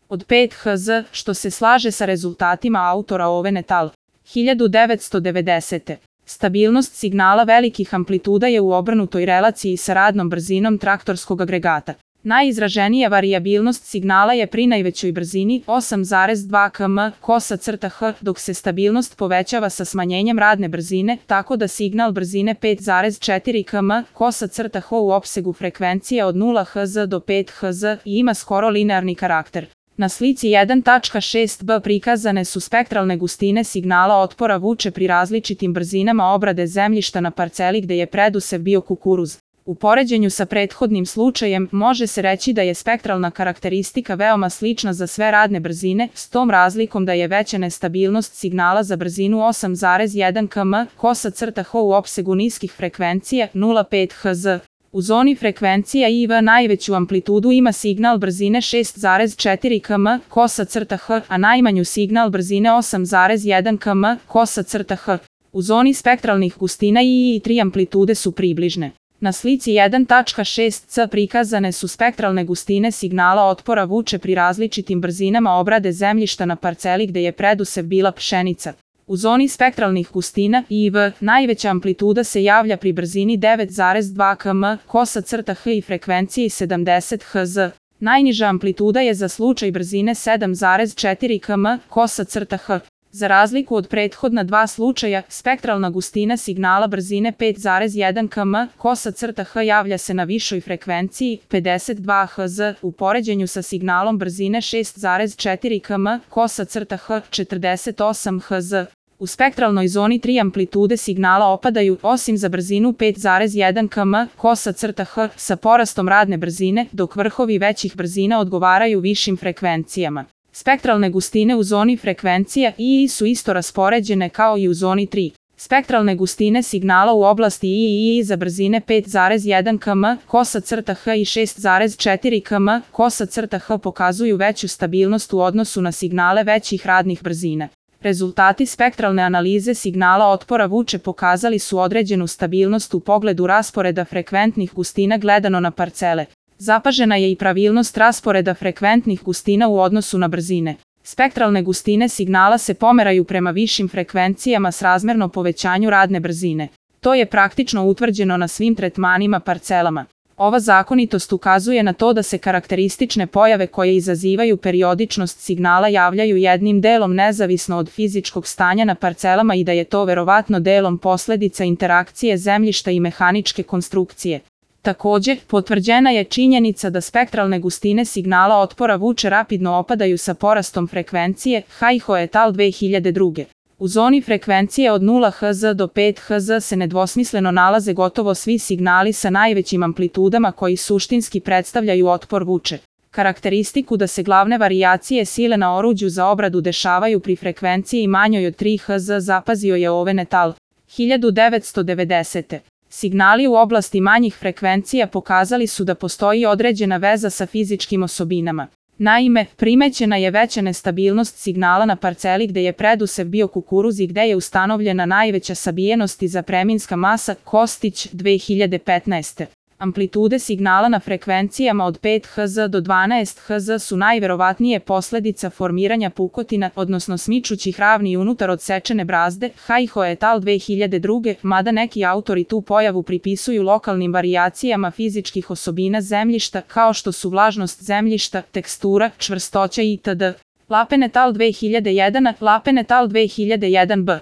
od 5 Hz, što se slaže sa rezultatima autora Ove Netal. 1990. Stabilnost signala velikih amplituda je u obrnutoj relaciji sa radnom brzinom traktorskog agregata. Najizraženija varijabilnost signala je pri najvećoj brzini 8,2 km/h, dok se stabilnost povećava sa smanjenjem radne brzine, tako da signal brzine 5,4 km/h u opsegu frekvencije od 0 Hz do 5 Hz ima skoro linearni karakter. Na slici 1.6b prikazane su spektralne gustine signala otpora vuče pri različitim brzinama obrade zemljišta na parceli gde je predusev bio kukuruz. U poređenju sa prethodnim slučajem može se reći da je spektralna karakteristika veoma slična za sve radne brzine, s tom razlikom da je veća nestabilnost signala za brzinu 8,1 km/h u opsegu niskih frekvencija 0,5 Hz. U zoni frekvencija IV najveću amplitudu ima signal brzine 6,4 km/h, a najmanju signal brzine 8,1 km/h. U zoni spektralnih gustina II3 amplitude su približne. Na slici 1.6c prikazane su spektralne gustine signala otpora vuče pri različitim brzinama obrade zemljišta na parceli gde je predusev bila pšenica. U zoni spektralnih gustina IV najveća amplituda se javlja pri brzini 9,2 km/h i frekvenciji 70 Hz. Najniža amplituda je za slučaj brzine 7,4 km/h. Za razliku od prethodna dva slučaja, spektralna gustina signala brzine 5,1 km/h javlja se na višoj frekvenciji 52 Hz u poređenju sa signalom brzine 6,4 km/h 48 Hz. U spektralnoj zoni 3 amplitude signala opadaju, osim za brzinu 5,1 km/h sa porastom radne brzine, dok vrhovi većih brzina odgovaraju višim frekvencijama. Spektralne gustine u zoni frekvencija II su isto raspoređene kao i u zoni 3. Spektralne gustine signala u oblasti II za brzine 5,1 km/h i 6,4 km/h pokazuju veću stabilnost u odnosu na signale većih radnih brzina. Rezultati spektralne analize signala otpora vuče pokazali su određenu stabilnost u pogledu rasporeda frekventnih gustina gledano na parcele. Zapažena je i pravilnost rasporeda frekventnih gustina u odnosu na brzine. Spektralne gustine signala se pomeraju prema višim frekvencijama srazmerno povećanju radne brzine. To je praktično utvrđeno na svim tretmanima parcelama. Ova zakonitost ukazuje na to da se karakteristične pojave koje izazivaju periodičnost signala javljaju jednim delom nezavisno od fizičkog stanja na parcelama i da je to verovatno delom posledica interakcije zemljišta i mehaničke konstrukcije. Takođe, potvrđena je činjenica da spektralne gustine signala otpora vuče rapidno opadaju sa porastom frekvencije, Hajho et al. 2002. U zoni frekvencije od 0 Hz do 5 Hz se nedvosmisleno nalaze gotovo svi signali sa najvećim amplitudama koji suštinski predstavljaju otpor vuče. Karakteristiku da se glavne varijacije sile na oruđu za obradu dešavaju pri frekvenciji manjoj od 3 Hz zapazio je Ove Netal. 1990. Signali u oblasti manjih frekvencija pokazali su da postoji određena veza sa fizičkim osobinama. Naime, primećena je veća nestabilnost signala na parceli gde je predusev bio kukuruz i gde je ustanovljena najveća sabijenost i zapreminska masa Kostić 2015. Amplitude signala na frekvencijama od 5 Hz do 12 Hz su najverovatnije posledica formiranja pukotina, odnosno smičućih ravni unutar odsečene brazde, Hajho et al. 2002, mada neki autori tu pojavu pripisuju lokalnim varijacijama fizičkih osobina zemljišta kao što su vlažnost zemljišta, tekstura, čvrstoća itd. Lapen et al. 2001, Lapen et al. 2001b.